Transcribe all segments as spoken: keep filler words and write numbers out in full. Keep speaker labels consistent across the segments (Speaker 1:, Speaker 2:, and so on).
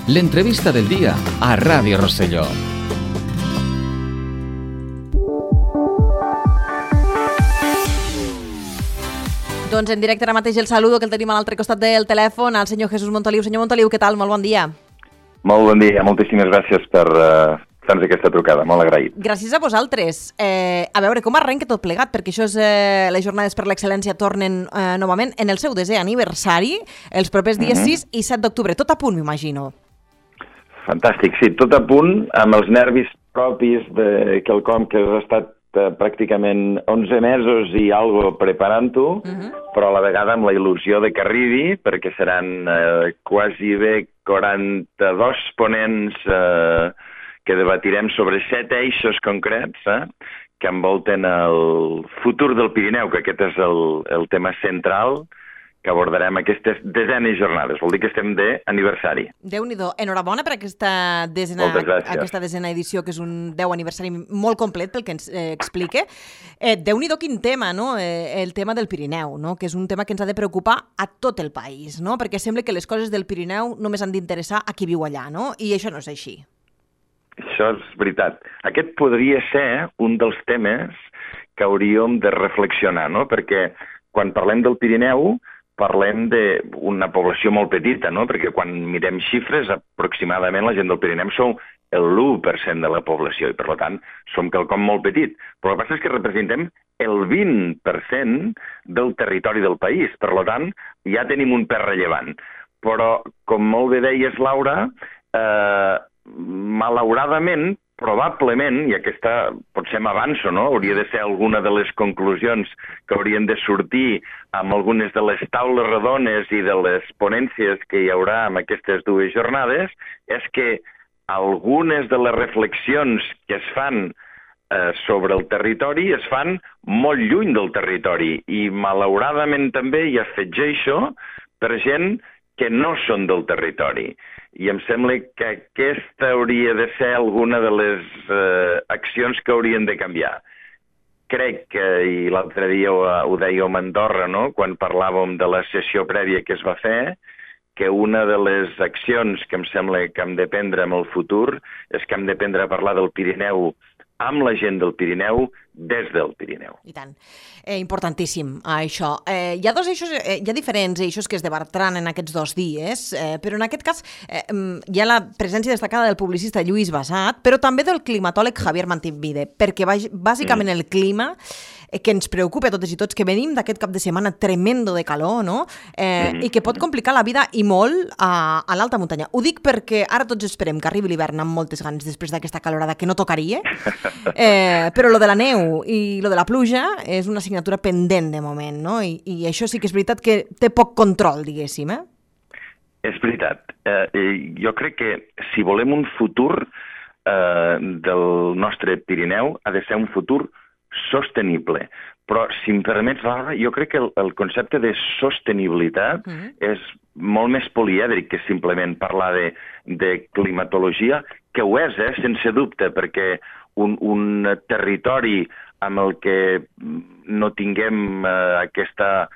Speaker 1: l'entrevista del dia a Ràdio Rosselló.
Speaker 2: Doncs en directe ara mateix el saludo, que el tenim a l'altre costat del telèfon, al senyor Jesús Montoliu. Senyor Montoliu, què tal? Molt bon dia.
Speaker 3: Molt bon dia, moltíssimes gràcies per uh, fer-nos aquesta trucada, molt agraït.
Speaker 2: Gràcies a vosaltres. Eh, a veure, com arrenca tot plegat? Perquè això és, eh, les jornades per l'excel·lència tornen eh, novament en el seu desè aniversari, els propers dies uh-huh. sis i set d'octubre. Tot a punt, m'imagino.
Speaker 3: Fantàstic, sí, tot a punt, amb els nervis propis de quelcom que has estat eh, pràcticament onze mesos i algo preparant-ho, uh-huh. però a la vegada amb la il·lusió de que arribi, perquè seran eh, quasi bé quaranta-dos ponents eh, que debatirem sobre set eixos concrets eh, que envolten el futur del Pirineu, que aquest és el, el tema central que abordarem aquestes desenes jornades. Vol dir que estem d'aniversari.
Speaker 2: Déu-n'hi-do. Enhorabona per aquesta desena, aquesta desena edició, que és un deu aniversari molt complet pel que ens eh, explique. Eh, Déu-n'hi-do quin tema, no? Eh, el tema del Pirineu, no? Que és un tema que ens ha de preocupar a tot el país, no? Perquè sembla que les coses del Pirineu només han d'interessar a qui viu allà, no? I això no és així.
Speaker 3: Això és veritat. Aquest podria ser un dels temes que hauríem de reflexionar, no? Perquè quan parlem del Pirineu parlem d'una població molt petita, no? Perquè quan mirem xifres, aproximadament la gent del Pirineu som l'u per cent de la població i, per tant, som quelcom molt petit. Però el que passa és que representem el vint per cent del territori del país. Per tant, ja tenim un pes rellevant. Però, com molt bé deies, Laura, eh, malauradament, probablement, i aquesta potser m'avanço, no? Hauria de ser alguna de les conclusions que haurien de sortir amb algunes de les taules rodones i de les ponències que hi haurà en aquestes dues jornades, és que algunes de les reflexions que es fan eh, sobre el territori es fan molt lluny del territori i malauradament també hi afegeixo per gent que no són del territori. I em sembla que aquesta hauria de ser alguna de les eh, accions que haurien de canviar. Crec que, i l'altre dia ho, ho dèiem a Andorra, no? Quan parlàvem de la sessió prèvia que es va fer, que una de les accions que em sembla que hem de prendre en el futur és que hem de prendre a parlar del Pirineu amb la gent del Pirineu, des del Pirineu.
Speaker 2: I tant. Eh, importantíssim, això. Eh, hi ha dos eixos, eh, hi ha diferents eixos que es debatran en aquests dos dies, eh, però en aquest cas eh, hi ha la presència destacada del publicista Lluís Basat, però també del climatòleg Javier Mantivide, perquè bàsicament mm. el clima que ens preocupa a totes i tots, que venim d'aquest cap de setmana tremendo de calor, no? Eh, mm. I que pot complicar la vida i molt a, a l'alta muntanya. Ho dic perquè ara tots esperem que arribi l'hivern amb moltes ganes després d'aquesta calorada que no tocaria, eh, però lo de la neu i lo de la pluja és una assignatura pendent de moment, no? I, i això sí que és veritat que té poc control, diguéssim, eh?
Speaker 3: És veritat. Eh, jo crec que si volem un futur eh, del nostre Pirineu ha de ser un futur sostenible. Però, si em permets, Laura, jo crec que el, el concepte de sostenibilitat mm. és molt més polièdric que simplement parlar de, de climatologia, que ho és, eh, sense dubte, perquè un, un territori amb el que no tinguem eh, aquesta,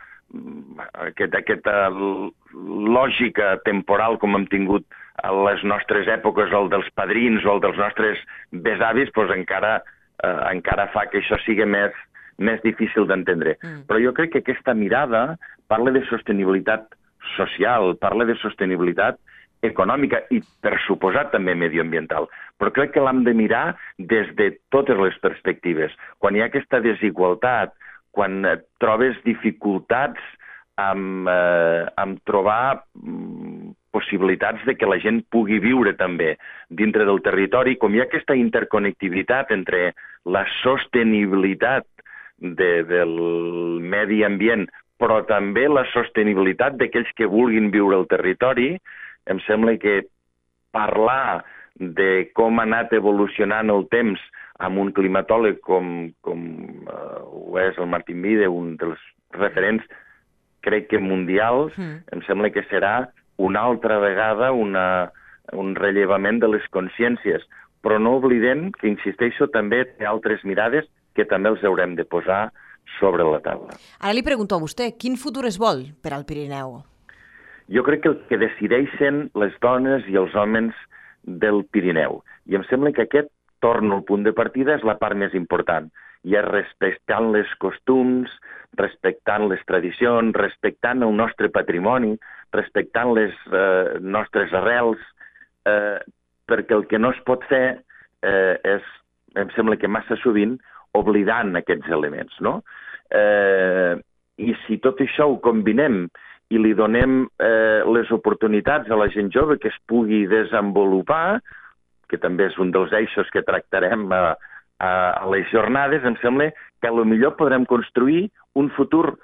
Speaker 3: aquest, aquesta lògica temporal com hem tingut a les nostres èpoques, o el dels padrins o el dels nostres besavis, doncs encara Eh, encara fa que això sigui més, més difícil d'entendre. Mm. Però jo crec que aquesta mirada parla de sostenibilitat social, parla de sostenibilitat econòmica i, per suposat, també medioambiental. Però crec que l'hem de mirar des de totes les perspectives. Quan hi ha aquesta desigualtat, quan eh, trobes dificultats amb, eh, amb trobar mm, possibilitats de que la gent pugui viure també dintre del territori, com hi ha aquesta interconnectivitat entre la sostenibilitat de, del medi ambient, però també la sostenibilitat d'aquells que vulguin viure al territori, em sembla que parlar de com ha anat evolucionant el temps amb un climatòleg com, com uh, ho és el Mantivide, un dels referents, crec que mundials, mm. em sembla que serà una altra vegada una, un rellevament de les consciències. Però no oblidem que, insisteixo, també té altres mirades que també els haurem de posar sobre la taula.
Speaker 2: Ara li pregunto a vostè, quin futur es vol per al Pirineu?
Speaker 3: jo crec que el que decideixen les dones i els homes del Pirineu. I em sembla que aquest, torno al punt de partida, és la part més important. I és respectant les costums, respectant les tradicions, respectant el nostre patrimoni, respectant les eh, nostres arrels, eh, perquè el que no es pot fer eh, és, em sembla que massa sovint, oblidant aquests elements, no? Eh, I si tot això ho combinem i li donem eh, les oportunitats a la gent jove que es pugui desenvolupar, que també és un dels eixos que tractarem a, a, a les jornades, em sembla que potser podrem construir un futur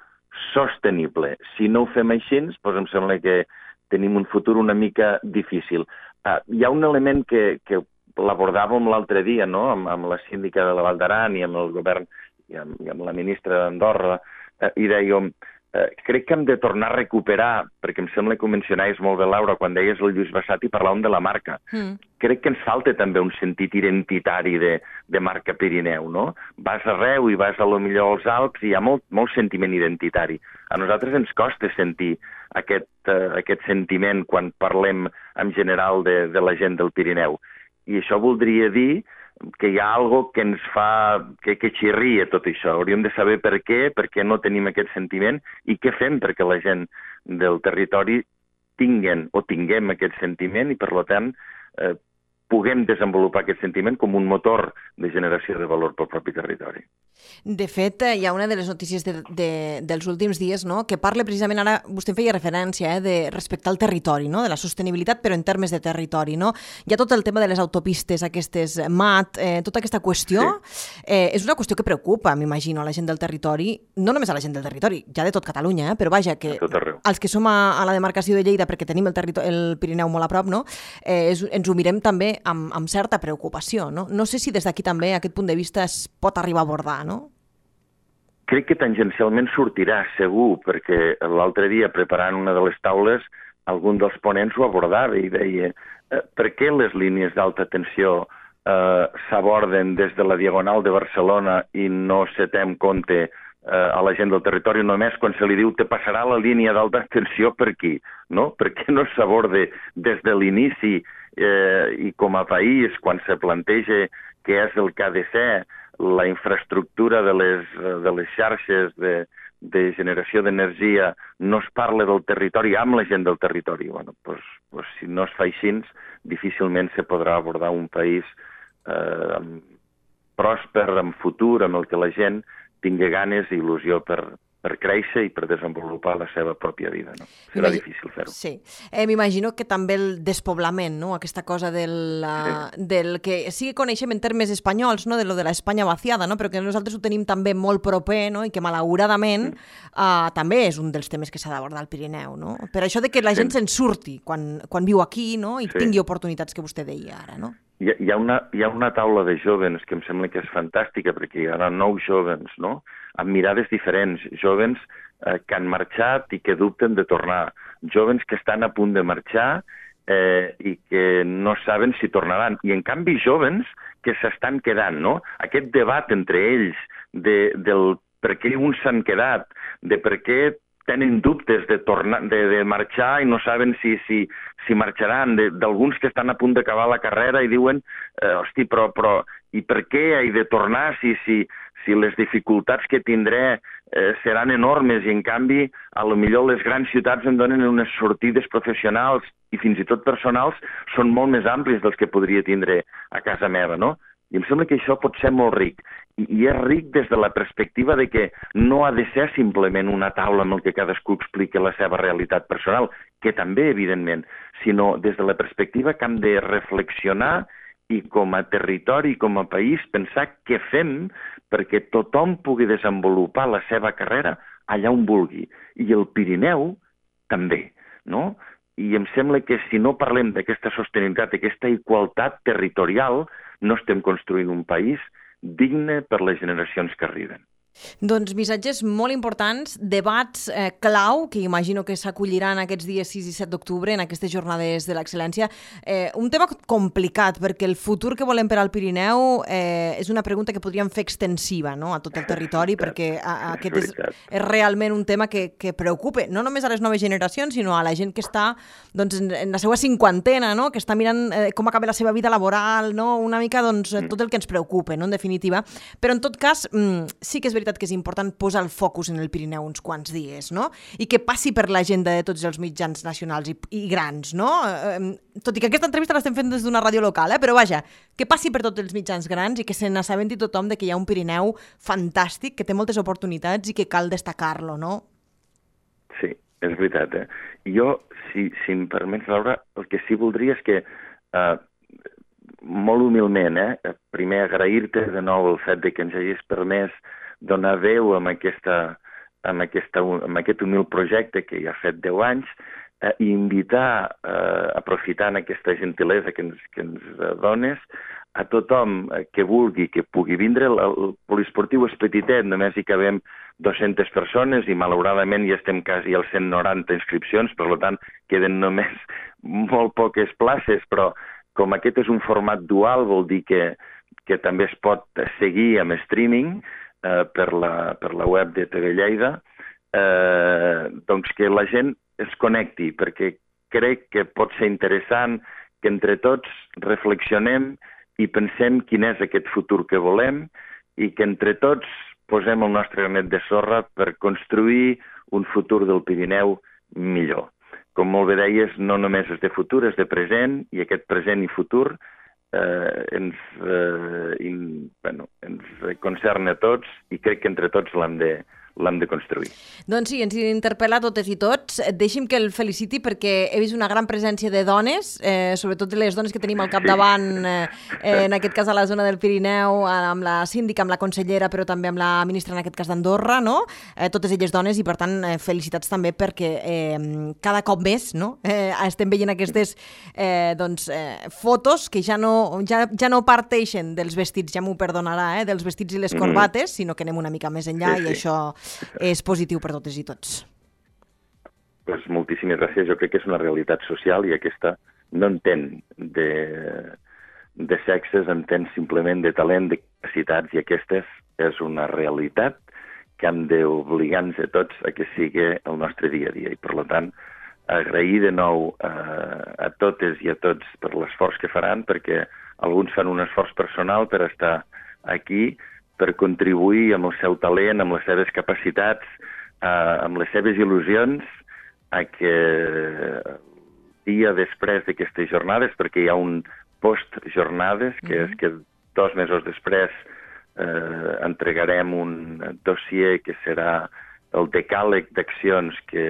Speaker 3: sostenible. Si no ho fem així, doncs em sembla que tenim un futur una mica difícil. Uh, hi ha un element que, que l'abordàvem l'altre dia, no?, amb, amb la síndica de la Val d'Aran i amb el govern i amb, i amb la ministra d'Andorra, eh, i dèiem, eh, crec que hem de tornar a recuperar, perquè em sembla que ho mencionaves molt bé, Laura, quan deies el Lluís Bassat i parlàvem de la marca. Mm. Crec que ens falta també un sentit identitari de, de marca Pirineu, no? Vas arreu i vas a lo millor als Alps i hi ha molt, molt sentiment identitari. A nosaltres ens costa sentir aquest, eh, aquest sentiment quan parlem en general de, de la gent del Pirineu. I això voldria dir que hi ha algo que ens fa, que, que xirria tot això. Hauríem de saber per què, per què no tenim aquest sentiment i què fem perquè la gent del territori tinguen o tinguem aquest sentiment i, per tant, eh, puguem desenvolupar aquest sentiment com un motor de generació de valor pel propi territori.
Speaker 2: De fet, hi ha una de les notícies de, de, dels últims dies, no?, que parla precisament, ara vostè feia referència, eh, de respectar el territori, no?, de la sostenibilitat, però en termes de territori, no? Hi ha tot el tema de les autopistes, aquestes M A T, eh, tota aquesta qüestió, sí. eh, és una qüestió que preocupa, m'imagino, a la gent del territori, no només a la gent del territori, ja de tot Catalunya, eh, però vaja, que els que som a, a la demarcació de Lleida, perquè tenim el, el Pirineu molt a prop, no?, eh, és, ens ho mirem també amb, amb certa preocupació, no? No sé si des d'aquí també aquest punt de vista es pot arribar a abordar, no?
Speaker 3: Crec que tangencialment sortirà, segur, perquè l'altre dia, preparant una de les taules, algun dels ponents ho abordava i deia eh, per què les línies d'alta tensió eh, s'aborden des de la Diagonal de Barcelona i no se té en compte eh, a la gent del territori només quan se li diu te passarà la línia d'alta tensió per aquí, no? Per què no s'aborde des de l'inici eh, i com a país, quan se planteja què és el que ha de ser la infraestructura de les, de les xarxes de, de generació d'energia, no es parla del territori amb la gent del territori. Bueno, pues, pues, si no es fa així, difícilment se podrà abordar un país eh, pròsper, amb futur, amb el que la gent tingui ganes i il·lusió per, per créixer i per desenvolupar la seva pròpia vida, no? Serà difícil fer-ho.
Speaker 2: Sí. Eh, M'imagino que també el despoblament, no?, aquesta cosa del, uh, sí. del que sí que coneixem en termes espanyols, no?, de lo de l'Espanya vaciada, no?, però que nosaltres ho tenim també molt proper, no?, i que malauradament mm. uh, també és un dels temes que s'ha d'abordar al Pirineu, no? Per això de que la gent sí. se'n surti quan, quan viu aquí, no?, i sí. tingui oportunitats que vostè deia ara, no?
Speaker 3: Hi ha, hi, ha una, hi ha una taula de jóvens que em sembla que és fantàstica, perquè hi ha nou jóvens, no?, amb mirades diferents, jóvens eh, que han marxat i que dubten de tornar, jóvens que estan a punt de marxar eh, i que no saben si tornaran, i en canvi jóvens que s'estan quedant, no? Aquest debat entre ells de, del per què uns s'han quedat, de per què tenen dubtes de, tornar, de, de marxar i no saben si, si, si marxaran, d'alguns que estan a punt d'acabar la carrera i diuen, eh, hosti, però, però i per què he de tornar si, si, si les dificultats que tindré eh, seran enormes i en canvi a lo millor les grans ciutats em donen unes sortides professionals i fins i tot personals són molt més amplis dels que podria tindre a casa meva, no? I em sembla que això pot ser molt ric. I, i és ric des de la perspectiva de que no ha de ser simplement una taula en què cadascú explica la seva realitat personal, que també, evidentment, sinó des de la perspectiva que hem de reflexionar i com a territori, com a país, pensar què fem perquè tothom pugui desenvolupar la seva carrera allà on vulgui. I el Pirineu també, no? I em sembla que si no parlem d'aquesta sostenibilitat, d'aquesta igualtat territorial, no estem construint un país digne per les generacions que arriben.
Speaker 2: Doncs missatges molt importants, debats eh, clau, que imagino que s'acolliran aquests dies sis i set d'octubre en aquestes jornades de l'excel·lència. Eh, un tema complicat, perquè el futur que volem per al Pirineu eh, és una pregunta que podríem fer extensiva, no?, a tot el territori, perquè a, a aquest és, és realment un tema que, que preocupa, no només a les noves generacions, sinó a la gent que està doncs, en, en la seva cinquantena, no?, que està mirant eh, com acaba la seva vida laboral, no?, una mica doncs, tot el que ens preocupa, no?, en definitiva. Però en tot cas, mm, sí que és veritat que és important posar el focus en el Pirineu uns quants dies, no? I que passi per l'agenda de tots els mitjans nacionals i, i grans, no? Eh, tot i que aquesta entrevista l'estem fent des d'una ràdio local, eh? Però vaja, que passi per tots els mitjans grans i que se n'assabenti tothom de que hi ha un Pirineu fantàstic, que té moltes oportunitats i que cal destacar-lo, no?
Speaker 3: Sí, és veritat, eh? Jo, si, si em permets, Laura, el que sí voldria és que eh, molt humilment, eh? primer agrair-te de nou el fet de que ens hagis permès donar veu amb, aquesta, amb, aquesta, amb aquest humil projecte que ja ha fet deu anys eh, i invitar, eh, aprofitant aquesta gentilesa que ens, que ens dones, a tothom que vulgui, que pugui vindre. El, el poliesportiu és petitet, només hi cabem dues-centes persones i malauradament ja estem quasi als cent noranta inscripcions, per tant queden només molt poques places, però com aquest és un format dual, vol dir que, que també es pot seguir amb streaming, Eh, per, la, per la web de T V Lleida, eh, doncs que la gent es connecti, perquè crec que pot ser interessant que entre tots reflexionem i pensem quin és aquest futur que volem i que entre tots posem el nostre granet de sorra per construir un futur del Pirineu millor. Com molt bé deies, no només és de futur, és de present, i aquest present i futur Eh, ens, eh, in, bueno, ens concerna a tots i crec que entre tots l'hem de, l'hem de construir.
Speaker 2: Doncs sí, ens interpel·la a totes i tots. Deixi'm que el feliciti perquè he vist una gran presència de dones, eh, sobretot les dones que tenim al capdavant, eh, en aquest cas a la zona del Pirineu, amb la síndica, amb la consellera, però també amb la ministra, en aquest cas d'Andorra, no? Eh, totes elles dones, i per tant eh, felicitats també perquè eh, cada cop més, no? Eh, estem veient aquestes eh, doncs, eh, fotos que ja no, ja, ja no parteixen dels vestits, ja m'ho perdonarà, eh, dels vestits i les corbates, mm. sinó que anem una mica més enllà, sí, i sí. Això és positiu per totes i tots.
Speaker 3: Pues moltíssimes gràcies. Jo crec que és una realitat social i aquesta no entén de, de sexes, entén simplement de talent, de capacitats, i aquesta és una realitat que hem d'obligar-nos a tots a que sigui el nostre dia a dia. I per tant, agrair de nou a, a totes i a tots per l'esforç que faran, perquè alguns fan un esforç personal per estar aquí, per contribuir amb el seu talent, amb les seves capacitats, eh, amb les seves il·lusions, a que dia després d'aquestes jornades, perquè hi ha un post-jornades, que mm-hmm. és que dos mesos després eh, entregarem un dossier que serà el decàleg d'accions que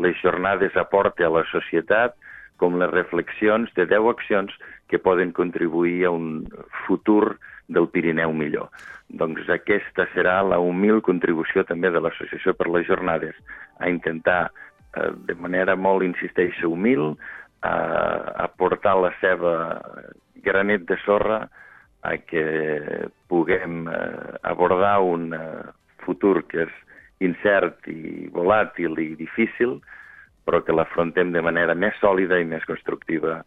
Speaker 3: les jornades aporten a la societat, com les reflexions de deu accions que poden contribuir a un futur del Pirineu millor. Doncs aquesta serà la humil contribució també de l'Associació per les Jornades, a intentar, eh, de manera molt, insisteixo, humil, a aportar la seva granet de sorra a que puguem eh, abordar un eh, futur que és incert i volàtil i difícil, però que l'afrontem de manera més sòlida i més constructiva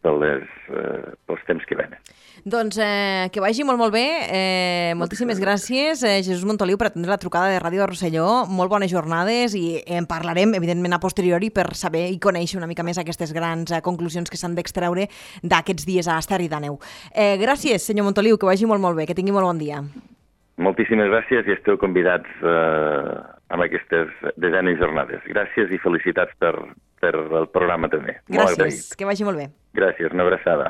Speaker 3: per les, eh, pels temps que venen.
Speaker 2: Doncs eh, que vagi molt, molt bé. Eh, moltíssimes gràcies, eh, Jesús Montoliu, per atendre la trucada de Ràdio de Rosselló. Molt bones jornades i en parlarem, evidentment, a posteriori per saber i conèixer una mica més aquestes grans eh, conclusions que s'han d'extreure d'aquests dies a Esterri d'Àneu. Eh, gràcies, senyor Montoliu, que vagi molt, molt bé, que tingui molt bon dia.
Speaker 3: Moltíssimes gràcies i esteu convidats eh, amb aquestes desenes jornades. Gràcies i felicitats per, per el programa també.
Speaker 2: Gràcies, que vagi molt bé.
Speaker 3: Gràcies, una abraçada.